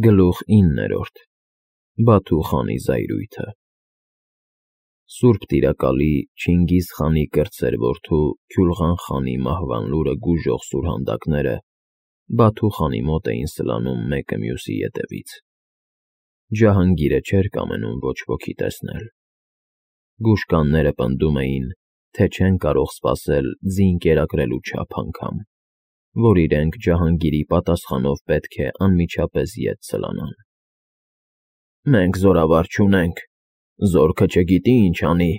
Գլուխ 9 Բաթու խանի զայրույթը Սուրբ տիրակալի Չինգիզ խանի կրտսեր որդու Քյուլղան խանի մահվան լուրը գուժող սուրհանդակները Բաթու խանի մոտ էին սլանում մեկը մյուսի ետևից։ Ջահանգիրը չէր կամենում ոչ ոքի տեսնել։ Գուշկանները պնդում էին, թե չեն կարող սպասել ձին կերակրելու չափ անգամ, որ իրենք Ջահանգիրի պատասխանով պետք է անմիջապես ետ սլանան։ «Մենք զորավար չունենք, զորքը չգիտի ինչ անի»,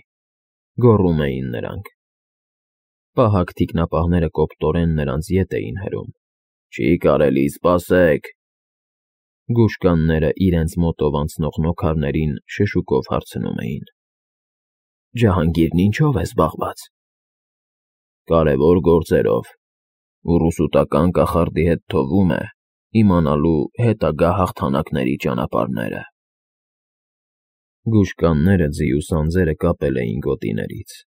գոռում էին նրանք։ Պահակ թիկնապահները կոպտորեն նրանց ետ էին հրում։ «Չի կարելի, սպասեք»։ Գուշկանները իրենց մոտով անցնող նոքարներին շշուկով հարցնում էին. «Ջահանգիրն ինչո՞վ է զբաղված»։ «Կարևոր գործերով, ու ռուսուտական կախարդի հետ թվում է իմանալու հետագա հաղթանակների ճանապարհները»։ Գուշկանները ձիու սանձերը կապել էին գոտիներից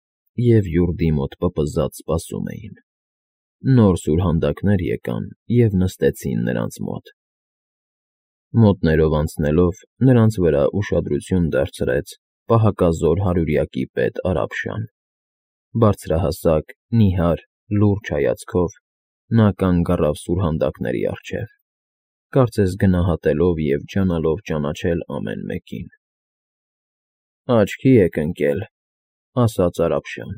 և յուրդի մոտ պպզած սպասում էին։ Նոր սուրհանդակներ եկան և նստեցին նրանց մոտ։ Մոտներով անցնելով նրանց վրա ուշադրություն դարձրեց պահակազոր հարյուրյակի պետ Արաբշան։ Բարձրահասակ, նիհար, լուրջ հայացքով նա կանգ առավ սուրհանդակների առջև, կարծես գնահատելով և ջանալով ճանաչել ամեն մեկին։ «Աչքի եք ընկել», ասաց Արաբշան,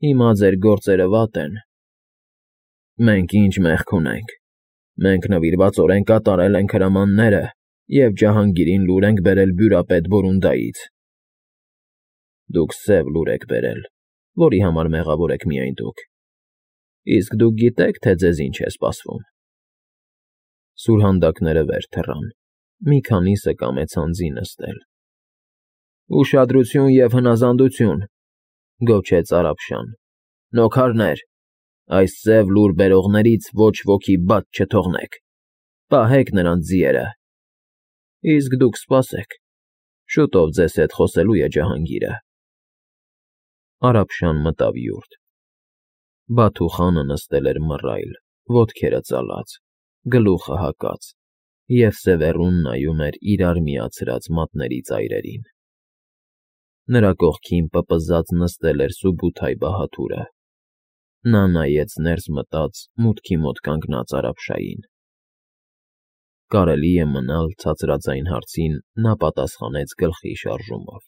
«հիմա ձեր գործերը վատ են»։ «Մենք ինչ մեղք ունենք, մենք նվիրվածորեն կատարել ենք հրամանները և Ջահանգիրին լուր ենք բերել բյուրապետ Բորունդայից»։ «Դուք սև լուր եք բերել, որի համար մեղավոր եք միայն դուք, իսկ դուք գիտե՞ք, թե ձեզ ինչ է սպասվում»։ Սուրհանդակները վեր թռան, մի քանիսը կամեցան ձի նստել։ «Ուշադրություն և հնազանդություն», գոչեց Արաբշան։ «Նոքարներ, այս սև լուր բերողներից ոչ ոքի բաց չթողնեք, պահեք նրանց ձիերը։ Իսկ դուք սպասեք, շուտով ձեզ հետ խոսելու է Ջահանգիրը»։ Արաբշան մտավ յուրդ։ Բաթու խանը նստել էր մռայլ, ոտքերը ծալած, գլուխը հակած և սևեռուն նայում էր իրար միացրած մատների ծայրերին։ Նրա կողքին պպզած նստել էր Սուբութայ բահադուրը։ Նա նայեց ներս մտած մուտքի մոտ կանգնած Արաբշային։ Կարելի է մնալ ցածրաձայն հարցին նա պատասխանեց գլխի շարժումով.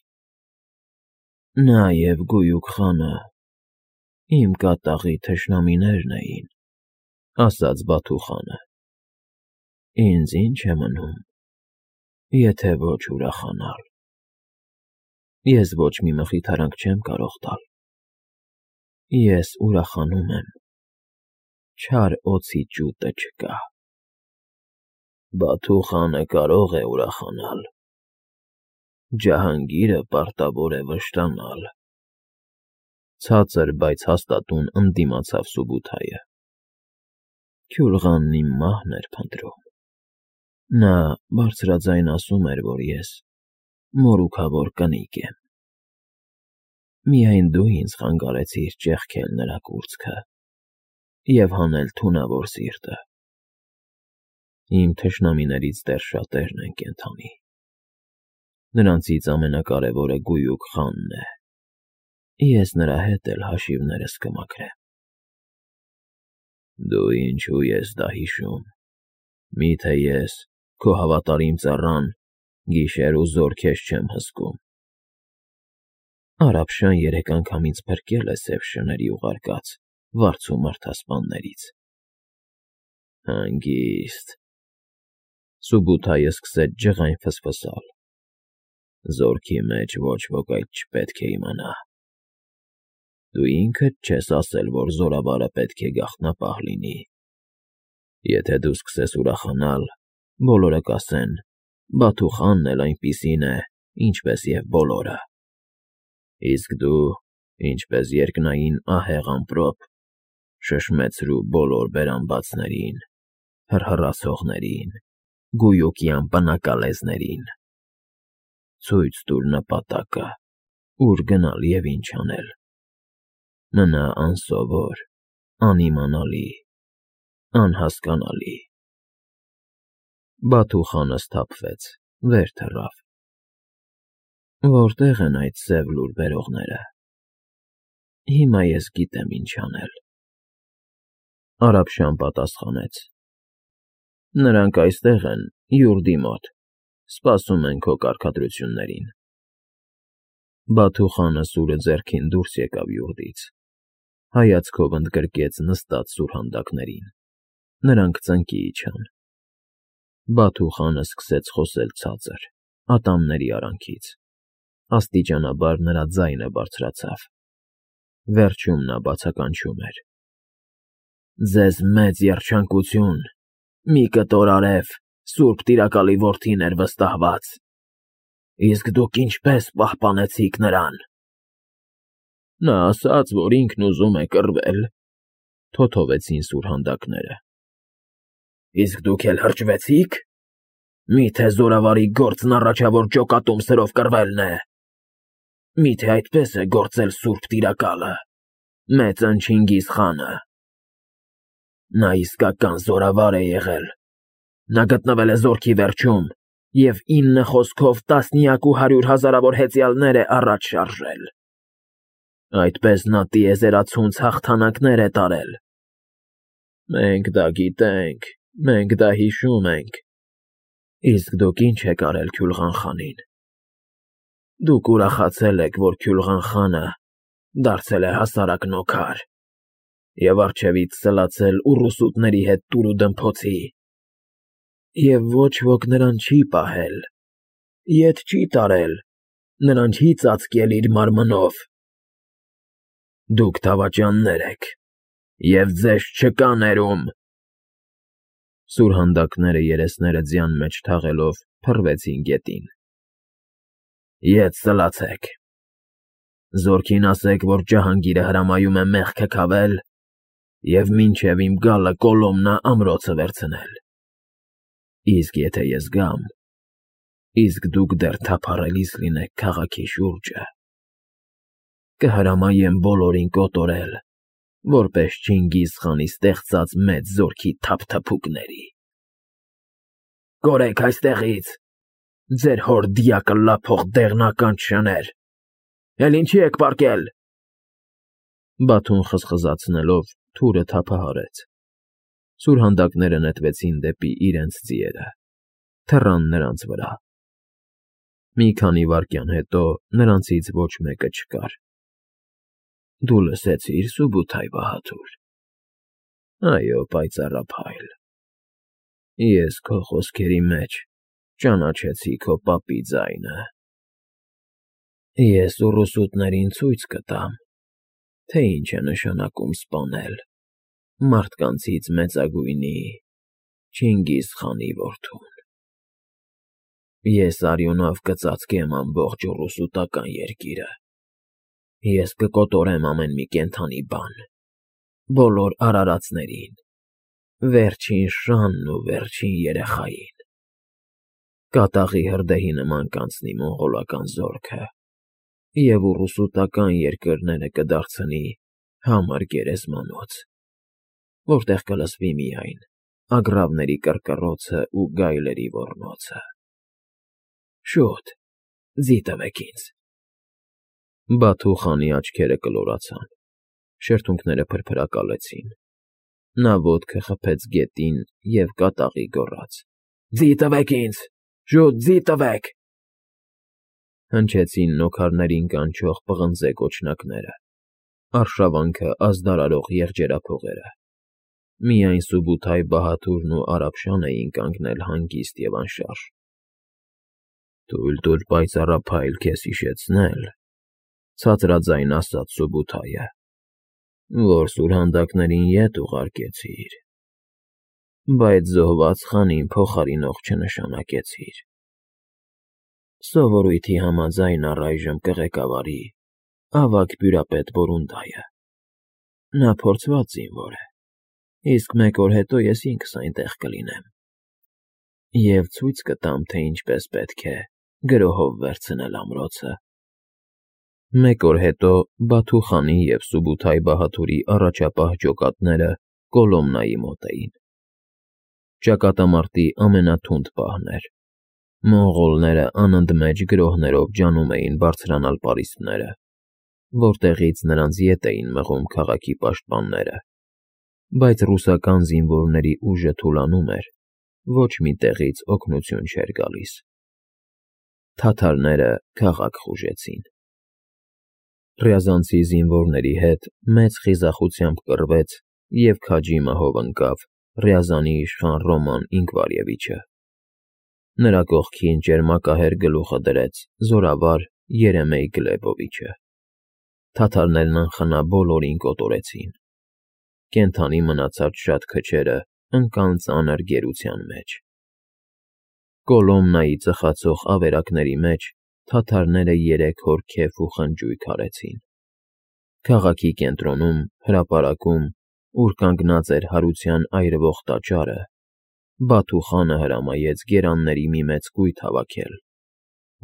«Նա և Գույուք խանը իմ կատաղի թշնամիներն էին», ասաց Բաթու խանը։ «Ինձ ի՞նչ է մնում, եթե ոչ ուրախանալ։ Ես ոչ մի մխիթարանք չեմ կարող տալ։ Ես ուրախանում եմ, չար օձի ճուտը չկա»։ «Բաթու խանը կարող է ուրախանալ, Ջահանգիրը պարտավոր է վշտանալ», ցածր, բայց հաստատուն ընդդիմացավ Սուբութայը։ «Քյուլղանն իմ մահն էր փնտրում։ Նա բարձրաձայն ասում էր, որ ես մորուքավոր կնիկ եմ։ Միայն դու ինձ խանգարեցիր ճեղքել նրա կուրծքը և հանել թունավոր սիրտը։ Իմ թշնամիներից դեռ շատերն են կենդանի։ Նրանցից ամենակարևորը Գույուք խանն է։ Ես նրա հետ էլ հաշիվներս կմաքրեմ»։ «Դու ինչու ես դա հիշում, միթե ես, քո հավատարիմ ծառան, գիշեր ու զօր քեզ չեմ հսկում»։ Արաբշան երեք անգամ ինձ փրկել է սև շների ուղարկած վարձու մարդասպաններից։ «Հանգիստ»։ Սուբութայը սկսեց ջղայն ֆսֆսալ։ «Զորքի մեջ ոչ ոք այդ չպետք է իմանա։ Դու ինքդ չես ասել, որ զորավարը պետք է գաղտնապահ լինի։ Եթե դու սկսես ուրախանալ, բոլորը կասեն. Բաթու խանն էլ այնպիսին է, ինչպես և բոլորը։ Իսկ դու, ինչպես երկնային ահեղ ամպրոպ, շշմեցրու բոլոր բերանբացներին, հռհռացողներին, գույուկյան պնակալեզներին։ Ցույց տուր նպատակը, ուր գնալ և ինչ անել։ Մնա անսովոր, անիմանալի, անհասկանալի»։ Բաթու խանը սթափվեց, վեր թռավ։ Որտե՞ղ են այդ սև լուր բերողները։ Հիմա ես գիտեմ ինչ անել։ Արաբշան պատասխանեց. Նրանք այստեղ են, յուրդի մոտ, սպասում են քո կարգադրություններին։ Բաթու խանը սուրը ձեռքին դուրս եկավ յուրդից, հայացքով ընդգրկեց նստած սուրհանդակներին։ Նրանք ծնկի իջան։ Բաթու խանը սկսեց խոսել ցածր, ատամների արանքից։ Աստիճանաբար նրա ձայնը բարձրացավ։ Վերջում նա բացականչում էր. Ձեզ մեծ երջանկություն, մի կտոր արև, Սուրբ Տիրակալի որդին էր վստահված։ Իսկ դուք ինչպես պահպանեցիք նրան։ Նա ասաց, որ ինքն ուզում է կռվել, թոթովեցին սուրհանդակները։ Իսկ դուք էլ հրճվեցիք։ Միթե զորավարի գործն առաջավոր ջոկատում սրով կռվելն է։ Միթե այդպես է գործել Սուրբ Տիրակալը, մեծն Չինգիզ խանը։ Նա իսկական զորավար է եղել։ Նա գտնվել է զորքի վերջում և 9 խոսքով տասնյակ ու 100 հազարավոր հեծյալներ է առաջ շարժել։ Այդպես նա տիեզերացունց հաղթանակներ է տարել։ Մենք դա գիտենք, մենք դա հիշում ենք։ Իսկ դուք ինչ եք արել Քյուլղան խանին։ Դուք ուրախացել եք, որ Քյուլղան խանը դարձել է հասարակ նոքար և առջևից սլացել ուռուսուտների հետ տուրուդմփոցի։ Եվ ոչ ոք նրան չի պահել, ետ չի տարել, նրան չի ծածկել իր մարմնով։ Դուք դավաճաններ եք, և ձեզ չկա ներում։ Սուրհանդակները երեսները ձյան մեջ թաղելով փռվեցին գետին։ Ետ սլացեք։ Զորքին ասեք, որ Ջահանգիրը հրամայում է մեղքը քավել և մինչև իմ գալը Կոլոմնա ամրոցը վերցնել։ Իսկ եթե ես գամ, իսկ դուք դեռ թափառելիս լինեք քաղաքի շուրջը, կհրամայեմ բոլորին կոտորել, որպես Չինգիզ խանի ստեղծած մեծ զորքի թափթփուկների։ Կորեք այստեղից, ձեր հոր դիակը լափող դեղնականջ շներ։ Էլ ինչի եք պառկել։ Բաթուն խզխզացնելով թուրը թափահարեց։ Սուրհանդակները նետվեցին դեպի իրենց ձիերը, թռան նրանց վրա։ Մի քանի վայրկյան հետո նրանցից ոչ մեկը չկար։ Դու լսեցի՞ր, Սուբութայ բահադուր։ Այո, պայծառափայլ։ Ես քո խոսքերի մեջ ճանաչեցի քո պապի ձայնը։ Ես ուռուսուտներին ցույց կտամ, թե ինչ է նշանակում սպանել մարդկանցից մեծագույնի Չինգիզ խանի որդուն։ Ես արյունով կծածկեմ ամբողջ ուռուսուտական երկիրը։ Ես կկոտորեմ ամեն մի կենդանի բան, բոլոր արարածներին, վերջին շանն ու վերջին երեխային։ Կատաղի հրդեհի նման կանցնի մոնղոլական զորքը, և ուռուսուտական երկրները կդարձնի համր գերեզմանոց, որտեղ կլսվի միայն ագռավների կռկռոցը ու գայլերի ոռնոցը։ Շուտ, ձի տվեք ինձ։ Բաթու խանի աչքերը կլորացան, շրթունքները փրփրակալեցին։ Նա ոտքը խփեց գետին և կատաղի գոռաց. Ձի տվեք ինձ, շուտ ձի տվեք։ Հնչեցին նոքարներին կանչող պղնձե կոչնակները, արշավանքը ազդարարող եղջերափողերը։ Միայն Սուբութայ բահադուրն ու Արաբշան էին կանգնել հանգիստ և անշարժ։ Թույլ տուր պայծառափայլ քեզ հիշեցնել, ցածրաձայն ասաց Սուբութայը, որ սուրհանդակներին ետ ուղարկեցիր, բայց զոհված խանին փոխարինող չնշանակեցիր։ Սովորույթի համաձայն առայժմ կղեկավարի ավագ բյուրապետ Բորունդայը։ Նա փորձված զինվոր է, իսկ 1 օր հետո ես ինքս այնտեղ կլինեմ և ցույց կտամ, թե ինչպես պետք է գրոհով վերցնել ամրոցը։ 1 օր հետո Բաթու խանի և Սուբութայ բահադուրի առաջապահ ջոկատները Կոլոմնայի մոտ էին։ Ճակատամարտի ամենաթունդ պահն էր։ Մոնղոլները անընդմեջ գրոհներով ջանում էին բարձրանալ պարիսպները, որտեղից նրանց ետ էին մղում քաղաքի պաշտպանները, բայց ռուսական զինվորների ուժը թուլանում էր, ոչ մի տեղից օգնություն չէր գալիս։ Թաթարները քաղաք խուժեցին։ Ռյազանցի զինվորների հետ մեծ խիզախությամբ կռվեց և քաջի մահով ընկավ Ռյազանի իշխան Ռոման Ինկվարևիչը։ Նրա կողքին ճերմակահեր գլուխը դրեց զորավար Երեմեյ Գլեբովիչը։ Թաթարներն անխնա բոլորին կոտորեցին։ Կենդանի մնացած շատ քչերը ընկան ծանր գերության մեջ։ Կոլոմնայի ծխացող ավերակների մեջ թաթարները 3 օր քեֆ ու խնջույք արեցին։ Քաղաքի կենտրոնում, հրապարակում, ուր կանգնած էր հարության այրվող տաճարը, Բաթու խանը հրամայեց գերանների մի մեծ կույտ հավաքել,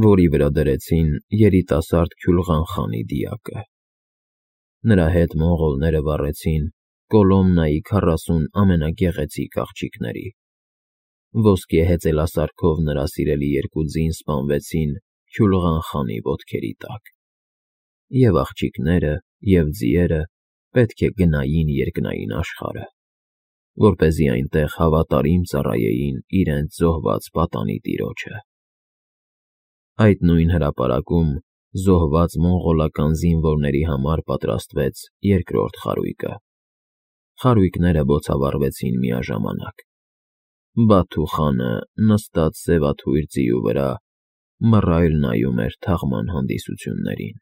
որի վրա դրեցին երիտասարդ Քյուլղան խանի դիակը։ Նրա հետ մոնղոլները վառեցին Կոլոմնայի 40 ամենագեղեցիկ աղջիկների։ Ոսկե հեծելասարքով նրա սիրելի 2 ձին սպանվեցին Քյուլղան խանի ոտքերի տակ, և աղջիկները, և ձիերը պետք է գնային երկնային աշխարհը, որպեսզի այնտեղ հավատարիմ ծառայեին իրենց զոհված պատանի տիրոջը։ Այդ նույն հրապարակում զոհված մոնղոլական զինվորների համար պատրաստվեց 2-րդ խարույկը։ Խարույկները բոցավառվեցին միաժամանակ։ Բաթու խանը նստած սևաթույր ձիու վրա մռայլ նայում էր թաղման հանդիսություններին։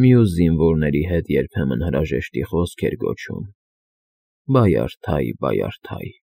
Մյուս զինվորների հետ երբեմն հրաժեշտի խոսք էր գոչում. «Բայարդայ, բայարդայ»։